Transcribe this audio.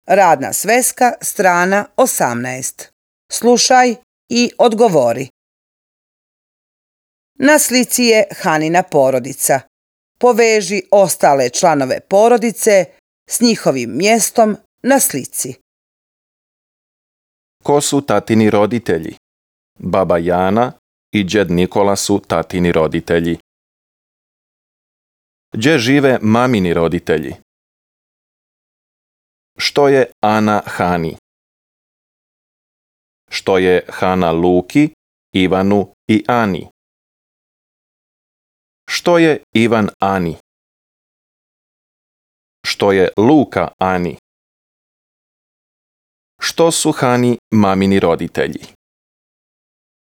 Radna sveska, strana 18. Slušaj i odgovori. Na slici je Hanina porodica. Poveži ostale članove porodice s njihovim mjestom na slici. Ko su tatini roditelji? Baba Jana i džed Nikola su tatini roditelji. Gdje žive mamini roditelji? Što je Ana Hani? Što je Hana Luki, Ivanu i Ani? Što je Ivan Ani? Što je Luka Ani? Što su Hani mamini roditelji?